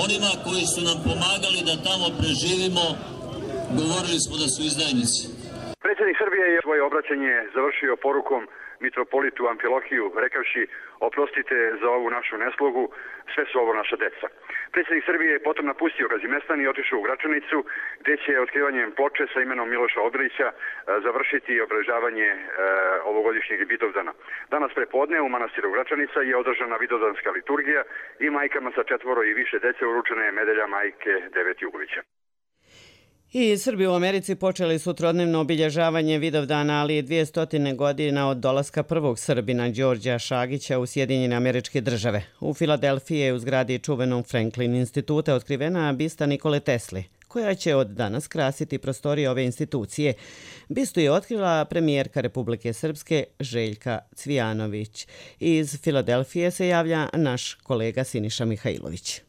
onima koji su nam pomagali da tamo preživimo, govorili smo da su izdajnici. Predsjednik Srbije je svoje obraćanje završio porukom mitropolitu Amfilohiju, rekavši oprostite za ovu našu neslogu, sve su ovo naša deca. Predsjednik Srbije je potom napustio Gazimestan i otišao u Gračanicu, gdje će otkrivanjem ploče sa imenom Miloša Obilića završiti obeležavanje e, ovogodišnjeg Vidovdana. Danas prepodne u manastiru Gračanica je održana vidovdanska liturgija i majkama sa četvoro i više dece uručena je medalja majke Devet Jugovića. I Srbi u Americi počeli su trodnevno obilježavanje Vidovdana, ali je dvjesto godina od dolaska prvog Srbina Đorđa Šagića u Sjedinjene Američke Države. U Filadelfiji je u zgradi čuvenom Franklin instituta otkrivena bista Nikole Tesle, koja će od danas krasiti prostorije ove institucije. Bistu je otkrila premijerka Republike Srpske Željka Cvijanović. Iz Filadelfije se javlja naš kolega Siniša Mihajlović.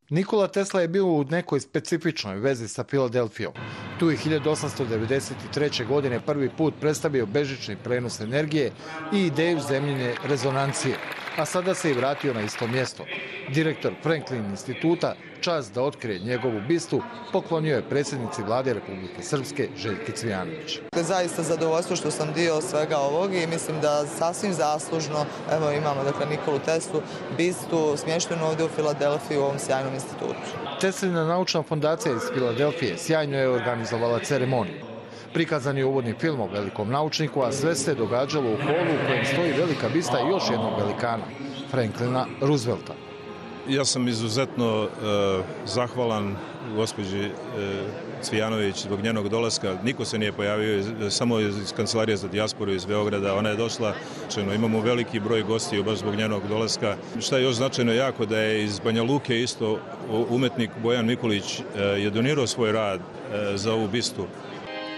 Nikola Tesla je bio u nekoj specifičnoj vezi sa Filadelfijom. Tu je hiljadu osamsto devedeset treće. godine prvi put predstavio bežični prenos energije i ideju zemljine rezonancije, a sada se i vratio na isto mjesto. Direktor Franklin instituta čast da otkrije njegovu bistu poklonio je predsjednici vlade Republike Srpske Željki Cvijanović. Zaista zadovoljstvo što sam dio svega ovog i mislim da sasvim zaslužno evo imamo dakle Nikolu Teslu bistu smještenu ovdje u Filadelfiji u ovom sjajnom institutu. Teslina naučna fondacija iz Filadelfije sjajno je organizovala ceremoniju. Prikazan je uvodni film o velikom naučniku, a sve se događalo u holu u kojem stoji velika bista još jednog velikana, Franklina Roosevelta. Ja sam izuzetno uh, zahvalan gospođi uh, Cvijanović zbog njenog dolaska. Niko se nije pojavio, samo iz Kancelarije za dijasporu iz Beograda. Ona je došla, čeno, imamo veliki broj gostiju baš zbog njenog dolaska. Šta je još značajno jako, da je iz Banja Luke isto umetnik Bojan Mikulić uh, je donirao svoj rad uh, za ovu bistu.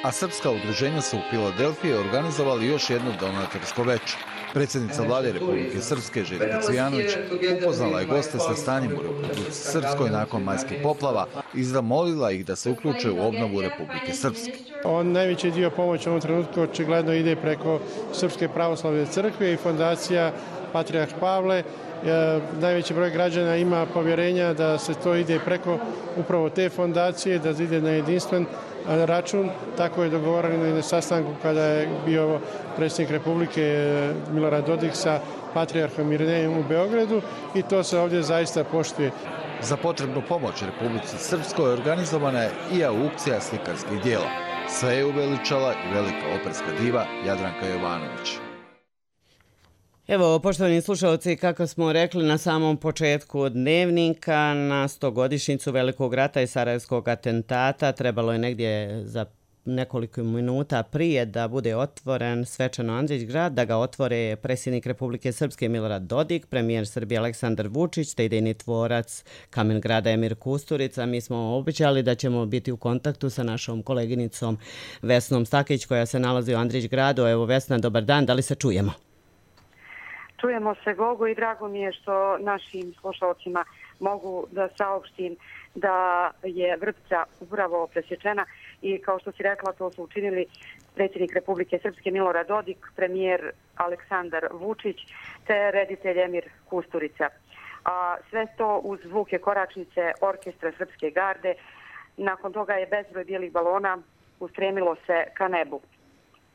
A srpska udruženja su u Filadelfiji organizovali još jedno donatorsko veče. Predsjednica vlade Republike Srpske Željka Cvijanović upoznala je goste sa stanjem u Republici Srpskoj nakon majskih poplava i zamolila ih da se uključe u obnovu Republike Srpske. On najveći dio pomoći u ovom trenutku očigledno ide preko Srpske pravoslavne crkve i fondacija Patrijarh Pavle. Najveći broj građana ima povjerenja da se to ide preko upravo te fondacije, da ide na jedinstven račun. Tako je dogovoreno i na sastanku kada je bio predsjednik Republike Milorad Dodik sa Patrijarhom Irinejem u Beogradu i to se ovdje zaista poštuje. Za potrebnu pomoć Republici Srpskoj organizovana je i aukcija slikarskih dijela. Sve je uveličala i velika operska diva Jadranka Jovanović. Evo, poštovani slušalci, kako smo rekli na samom početku dnevnika, na stogodišnjicu Velikog rata i Sarajevskog atentata trebalo je negdje za nekoliko minuta prije da bude otvoren svečano Andrić grad, da ga otvore predsjednik Republike Srpske Milorad Dodik, premijer Srbije Aleksandar Vučić, te idejni tvorac Kamen grada Emir Kusturica. Mi smo obećali da ćemo biti u kontaktu sa našom koleginicom Vesnom Stakić koja se nalazi u Andrić gradu. Evo Vesna, dobar dan, da li se čujemo? Čujemo se, Gogo, i drago mi je što našim slušalcima mogu da saopštim da je Vrpca upravo presječena i kao što si rekla, to su učinili predsjednik Republike Srpske Milorad Dodik, premijer Aleksandar Vučić te reditelj Emir Kusturica. A sve to uz zvuke koračnice orkestra Srpske garde. Nakon toga je bezbroj bijelih balona ustremilo se ka nebu.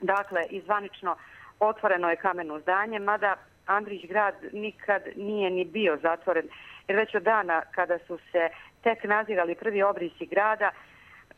Dakle, izvanično otvoreno je kameno zdanje, mada Andrić grad nikad nije ni bio zatvoren, jer već od dana kada su se tek nazirali prvi obrisi grada,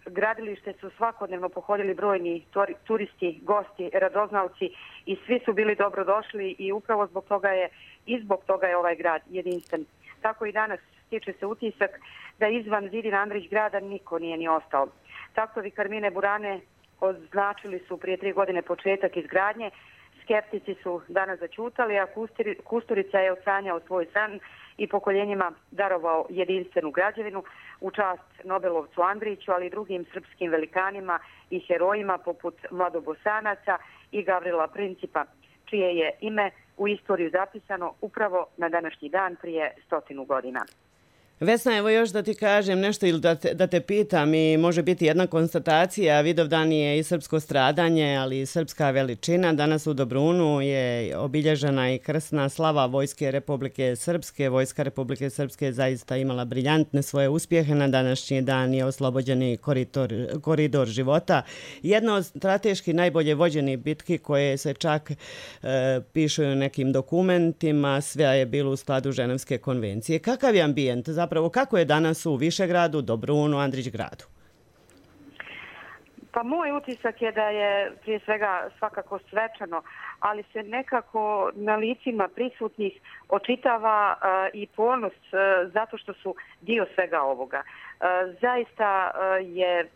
gradilište su svakodnevno pohodili brojni turisti, gosti, radoznalci i svi su bili dobrodošli i upravo zbog toga je i zbog toga je ovaj grad jedinstven. Tako i danas stiče se utisak da izvan zidina Andrić grada niko nije ni ostao. Taktovi Karmine Burane označili su prije tri godine početak izgradnje. Skeptici su danas zaćutali, a Kusturica je odsanjao svoj san i pokoljenjima darovao jedinstvenu građevinu u čast Nobelovcu Andriću, ali i drugim srpskim velikanima i herojima poput Mladobosanaca i Gavrila Principa, čije je ime u istoriju zapisano upravo na današnji dan prije stotinu godina. Vesna, evo još da ti kažem nešto ili da te, da te pitam, i može biti jedna konstatacija. Vidovdan je i srpsko stradanje, ali i srpska veličina. Danas u Dobrunu je obilježena i krsna slava Vojske Republike Srpske. Vojska Republike Srpske je zaista imala briljantne svoje uspjehe. Na današnji dan je oslobođeni koridor, koridor života. Jedna od strateški najbolje vođenih bitki koje se čak e, pišu u nekim dokumentima, sve je bilo u skladu Ženevske konvencije. Kakav je ambijent? Zapravo, kako je danas u Višegradu, Dobrunu, Andrićgradu? Pa moj utisak je da je prije svega svakako svečano, ali se nekako na licima prisutnih očitava uh, i ponos uh, zato što su dio svega ovoga. Uh, zaista uh, je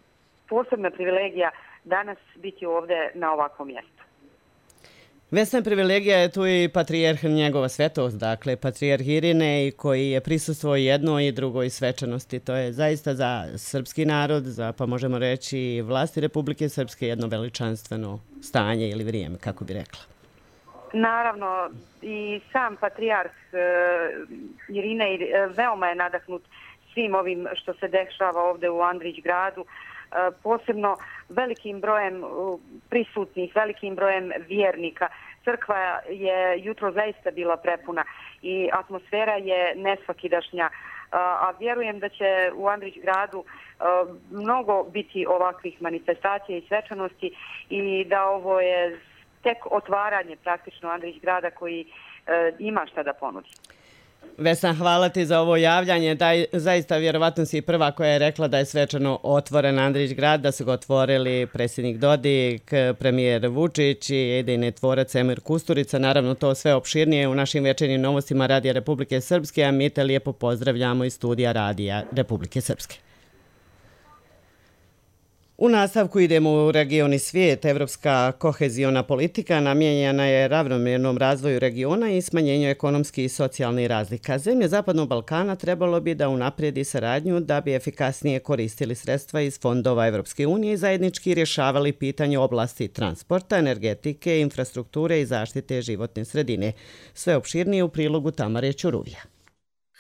posebna privilegija danas biti ovdje na ovakvom mjestu. Vesna, privilegija je tu i patrijarh njegova svetost, dakle patrijarh Irinej, koji je prisustvovao jednoj i drugoj svečanosti. To je zaista za srpski narod, za, pa možemo reći, vlasti Republike Srpske jedno veličanstveno stanje ili vrijeme, kako bi rekla. Naravno, i sam patrijarh uh, Irinej uh, veoma je nadahnut svim ovim što se dešava ovdje u Andrićgradu, uh, posebno velikim brojem uh, prisutnih, velikim brojem vjernika. Crkva je jutro zaista bila prepuna i atmosfera je nesvakidašnja, uh, a vjerujem da će u Andrićgradu uh, mnogo biti ovakvih manifestacija i svečanosti i da ovo je tek otvaranje praktično Andrićgrada koji uh, ima šta da ponudi. Vesna, hvala ti za ovo javljanje. Daj, zaista vjerovatno si prva koja je rekla da je svečano otvoren Andrićgrad, da su ga otvorili predsjednik Dodik, premijer Vučić i idejni tvorac Emir Kusturica. Naravno, to sve opširnije u našim večernjim novostima Radija Republike Srpske, a mi te lijepo pozdravljamo iz studija Radija Republike Srpske. U nastavku idemo u region i svijet. Evropska koheziona politika namijenjena je ravnomjernom razvoju regiona i smanjenju ekonomskih i socijalnih razlika. Zemlje Zapadnog Balkana trebalo bi da unaprijedi saradnju da bi efikasnije koristili sredstva iz fondova Evropske unije i zajednički rješavali pitanje oblasti transporta, energetike, infrastrukture i zaštite životne sredine. Sve opširnije u prilogu Tamare Ćuruvija.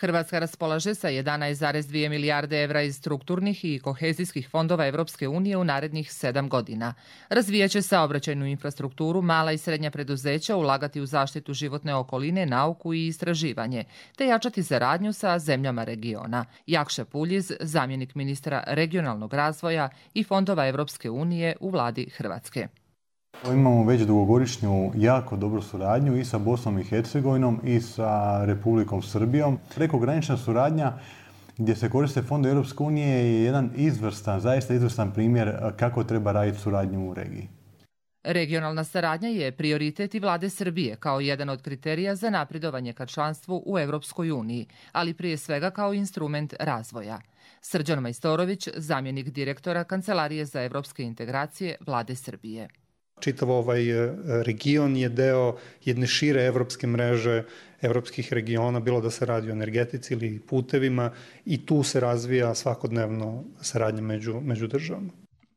Hrvatska raspolaže sa jedanaest zarez dvije milijarde evra iz strukturnih i kohezijskih fondova Evropske unije u narednih sedam godina. Razvijaće saobraćajnu infrastrukturu, mala i srednja preduzeća, ulagati u zaštitu životne okoline, nauku i istraživanje, te jačati saradnju sa zemljama regiona. Jakša Puljiz, zamjenik ministra regionalnog razvoja i fondova Evropske unije u vladi Hrvatske. Imamo već dugogodišnju jako dobru suradnju i sa Bosnom i Hercegovinom i sa Republikom Srbijom. Prekogranična suradnja gdje se koriste fondovi Europske unije je jedan izvrstan, zaista izvrstan primjer kako treba raditi suradnju u regiji. Regionalna saradnja je prioritet i vlade Srbije kao jedan od kriterija za napredovanje ka članstvu u Evropskoj uniji, ali prije svega kao instrument razvoja. Srđan Majstorović, zamjenik direktora Kancelarije za evropske integracije vlade Srbije. Čitav ovaj region je deo jedne šire evropske mreže evropskih regiona, bilo da se radi o energetici ili putevima, i tu se razvija svakodnevno saradnja među, među državama.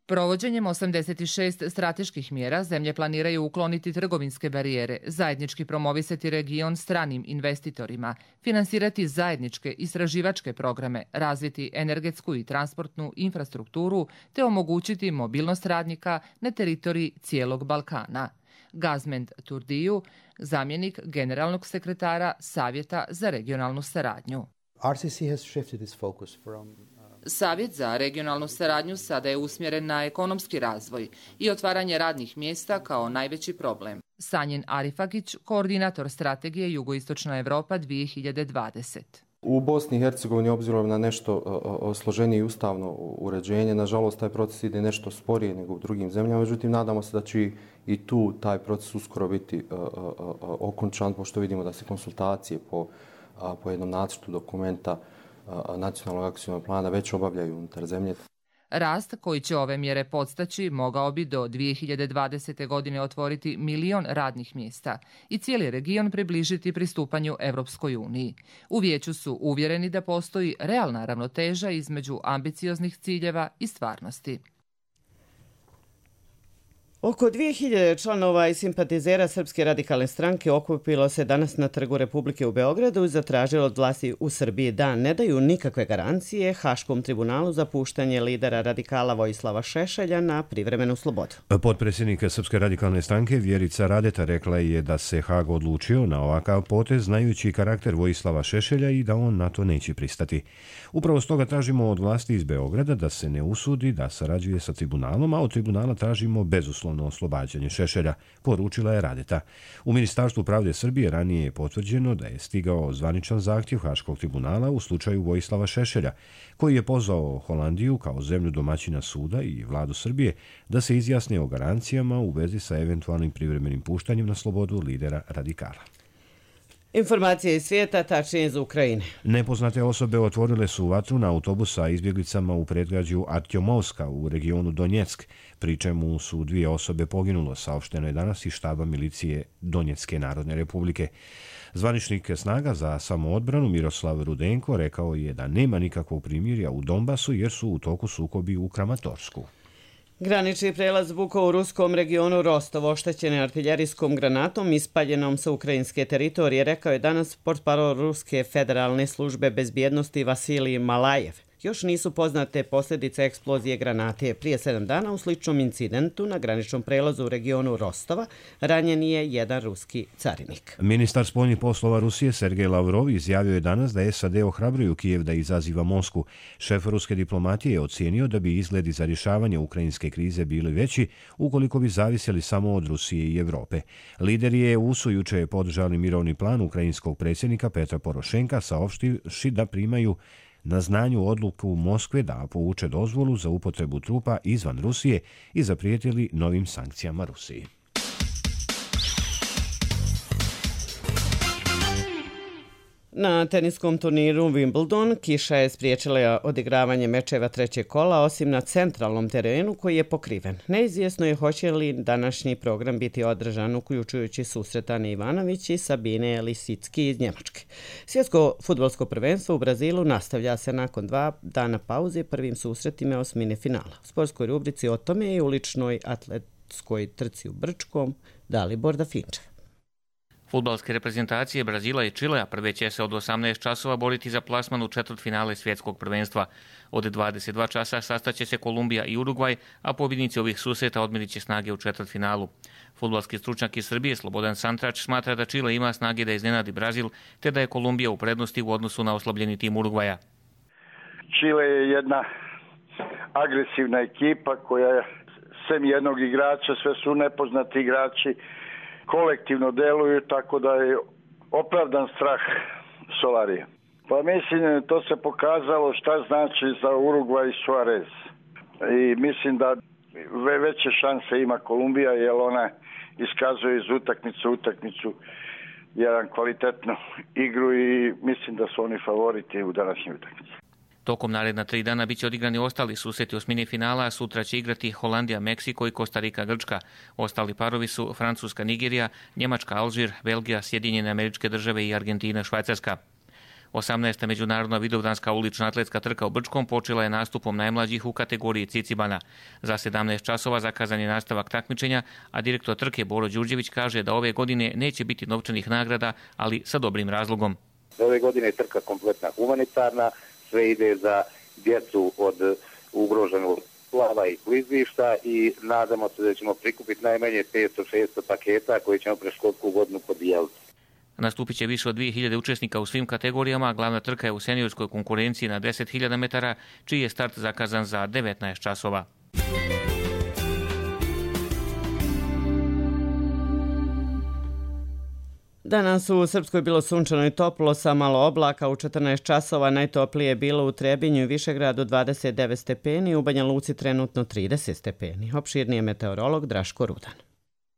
Provođenjem osamdeset šest strateških mjera zemlje planiraju ukloniti trgovinske barijere, zajednički promovisati region stranim investitorima, finansirati zajedničke istraživačke programe, razviti energetsku i transportnu infrastrukturu te omogućiti mobilnost radnika na teritoriji cijelog Balkana. Gazmend Turdiju, zamjenik generalnog sekretara Savjeta za regionalnu saradnju. R C C has shifted its focus from Savjet za regionalnu saradnju sada je usmjeren na ekonomski razvoj i otvaranje radnih mjesta kao najveći problem. Sanjin Arifagić, koordinator strategije Jugoistočna Evropa dvije hiljade dvadesete. U Bosni i Hercegovini, obzirom na nešto složenije ustavno uređenje, nažalost taj proces ide nešto sporije nego u drugim zemljama, međutim nadamo se da će i tu taj proces uskoro biti okončan, pošto vidimo da se konsultacije po, po jednom nacrtu dokumenta nacionalnog akcijnog plana već obavljaju unutar zemlje. Rast koji će ove mjere podstaći mogao bi do dvije hiljade dvadesete. godine otvoriti milion radnih mjesta i cijeli region približiti pristupanju Evropskoj uniji. U vijeću su uvjereni da postoji realna ravnoteža između ambicioznih ciljeva i stvarnosti. Oko dvije hiljade članova i simpatizera Srpske radikalne stranke okupilo se danas na Trgu Republike u Beogradu i zatražilo od vlasti u Srbiji da ne daju nikakve garancije Haškom tribunalu za puštanje lidera radikala Vojislava Šešelja na privremenu slobodu. Potpredsjednik Srpske radikalne stranke Vjerica Radeta rekla je da se Hag odlučio na ovakav potez znajući karakter Vojislava Šešelja i da on na to neće pristati. Upravo stoga tražimo od vlasti iz Beograda da se ne usudi da sarađuje sa tribunalom, a od tribunala tražimo bezuslovno oslobađanje Šešelja, poručila je Radeta. U Ministarstvu pravde Srbije ranije je potvrđeno da je stigao zvaničan zahtjev Haškog tribunala u slučaju Vojislava Šešelja, koji je pozvao Holandiju kao zemlju domaćina suda i vladu Srbije da se izjasne o garancijama u vezi sa eventualnim privremenim puštanjem na slobodu lidera radikala. Informacije iz svijeta, tačnije iz Ukrajine. Nepoznate osobe otvorile su vatru na autobus sa izbjeglicama u predgrađu Artjomovska u regionu Donjeck, pri čemu su dvije osobe poginulo, saopšteno je danas iz štaba milicije Donjecke narodne republike. Zvaničnik snaga za samoodbranu Miroslav Rudenko rekao je da nema nikakvog primirja u Donbasu jer su u toku sukobi u Kramatorsku. Granični prelaz Buko u ruskom regionu Rostov oštećen je artiljerijskom granatom ispaljenom sa ukrajinske teritorije, rekao je danas portparol Ruske federalne službe bezbjednosti Vasilij Malajev. Još nisu poznate posljedice eksplozije granate. Prije sedam dana u sličnom incidentu na graničnom prelazu u regionu Rostova ranjen je jedan ruski carinik. Ministar spoljnih poslova Rusije Sergej Lavrov izjavio je danas da S A D ohrabruju Kijev da izaziva Moskvu. Šef ruske diplomatije je ocijenio da bi izgledi za rješavanje ukrajinske krize bili veći ukoliko bi zavisjeli samo od Rusije i Evrope. Lideri E U su juče podržali mirovni plan ukrajinskog predsjednika Petra Porošenka, saopštivši da primaju na znanju odluku Moskve da povuče dozvolu za upotrebu trupa izvan Rusije i zaprijetili novim sankcijama Rusiji. Na teniskom turniru Wimbledon kiša je spriječila odigravanje mečeva trećeg kola, osim na centralnom terenu koji je pokriven. Neizvjesno je hoće li današnji program biti održan, uključujući susret Ane Ivanović i Sabine Lisicki iz Njemačke. Svjetsko fudbalsko prvenstvo u Brazilu nastavlja se nakon dva dana pauze prvim susretima osmine finala. U sportskoj rubrici o tome i uličnoj atletskoj trci u Brčkom Dalibor Dafinčev. Fudbalske reprezentacije Brazila i Čilea prve će se od osamnaest časova boriti za plasman u četvrtfinale svjetskog prvenstva. Od dvadeset dva časa sastaće se Kolumbija i Urugvaj, a pobjednici ovih susreta odmerit će snage u četvrtfinalu. Fudbalski stručnjak iz Srbije Slobodan Santrač smatra da Čile ima snage da iznenadi Brazil, te da je Kolumbija u prednosti u odnosu na oslabljeni tim Urugvaja. Čile je jedna agresivna ekipa koja je sem jednog igrača, sve su nepoznati igrači, kolektivno deluju, tako da je opravdan strah Solarija. Pa mislim, to se pokazalo šta znači za Urugvaj i Suarez. I mislim da veće šanse ima Kolumbija, jer ona iskazuje iz utakmice u utakmicu jedan kvalitetnu igru i mislim da su oni favoriti u današnjoj utakmici. Tokom naredna tri dana biće odigrani ostali susreti osmine finala, a sutra će igrati Holandija, Meksiko i Kostarika, Grčka. Ostali parovi su Francuska, Nigerija, Njemačka, Alžir, Belgija, Sjedinjene Američke Države i Argentina, Švajcarska. osamnaesta međunarodna vidovdanska ulična atletska trka u Brčkom počela je nastupom najmlađih u kategoriji Cicibana. Za sedamnaest časova zakazan je nastavak takmičenja, a direktor trke Boro Đurđević kaže da ove godine neće biti novčanih nagrada, ali sa dobrim razlogom. Ove godine je trka kompletna humanitarna, sve ide za djecu od ugroženog splava i klizišta i nadamo se da ćemo prikupiti najmanje petsto šesto paketa koje ćemo pre školsku godinu podijeliti. Nastupit će više od dvije hiljade učesnika u svim kategorijama, a glavna trka je u seniorskoj konkurenciji na deset hiljada metara, čiji je start zakazan za devetnaest časova. Danas u Srpskoj bilo sunčano i toplo sa malo oblaka. U četrnaest časova najtoplije je bilo u Trebinju i Višegradu dvadeset devet stepeni, u Banja Luci trenutno trideset stepeni. Opširniji je meteorolog Draško Rudan.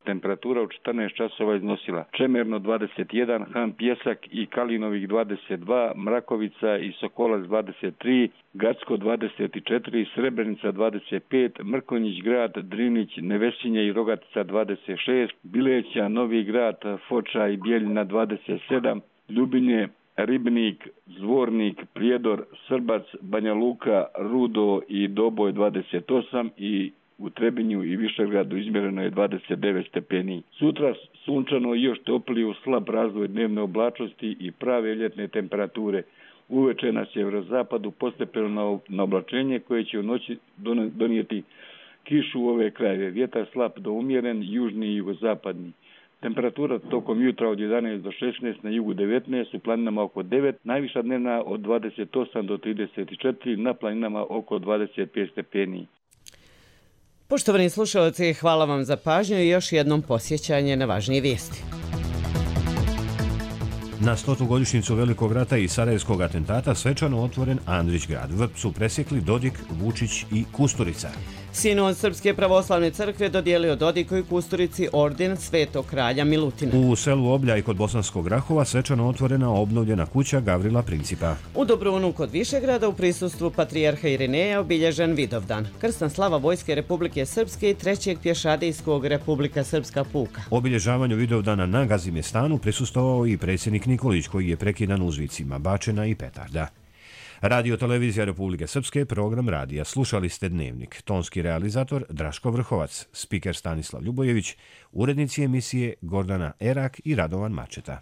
Temperatura u četrnaest časova iznosila Čemerno dvadeset jedan, Han Pjesak i Kalinovik dvadeset dva, Mrakovica i Sokolac dvadeset tri, Gacko dvadeset četiri, Srebrenica dvadeset pet, Mrkonjić grad, Drinić, Nevesinje i Rogatica dvadeset šest, Bileća, Novi grad, Foča i Bijeljina dvadeset sedam, Ljubinje, Ribnik, Zvornik, Prijedor, Srbac, Banja Luka, Rudo i Doboj dvadeset osam i u Trebinju i Višegradu izmjereno je dvadeset devet stepeni. Sutra sunčano i još toplije u slab razvoj dnevne oblačnosti i prave ljetne temperature. Uveče na sjeverozapadu postepeno na oblačenje koje će u noći donijeti kišu u ove krajeve. Vjetar slab do umjeren, južni i jugozapadni. Temperatura tokom jutra od jedanaest do šesnaest, na jugu devetnaest, u planinama oko devet, najviša dnevna od dvadeset osam do trideset četiri, na planinama oko dvadeset pet stepeni. Poštovani slušalci, hvala vam za pažnju i još jednom posjećanje na važnije vijesti. Na stotu godišnjicu Velikog rata i Sarajevskog atentata svečano otvoren Andrić grad. Vrp su presjekli Dodik, Vučić i Kusturica. Sinod Srpske pravoslavne crkve dodijelio Dodiku i Kusturici orden Svetog kralja Milutina. U selu Obljaj kod Bosanskog Rahova svečano otvorena obnovljena kuća Gavrila Principa. U Dobrunu kod Višegrada u prisustvu patrijarha Irineja obilježen Vidovdan, krsna slava Vojske Republike Srpske i trećeg pješadijskog Republika Srpska puka. Obilježavanju Vidovdana na Gazimestanu prisustvovao i predsjednik Nikolić, koji je prekidan uzvicima bačena i petarda. Radio Televizija Republike Srpske, program radija. Slušali ste Dnevnik. Tonski realizator Draško Vrhovac, spiker Stanislav Ljubojević, urednici emisije Gordana Erak i Radovan Mačeta.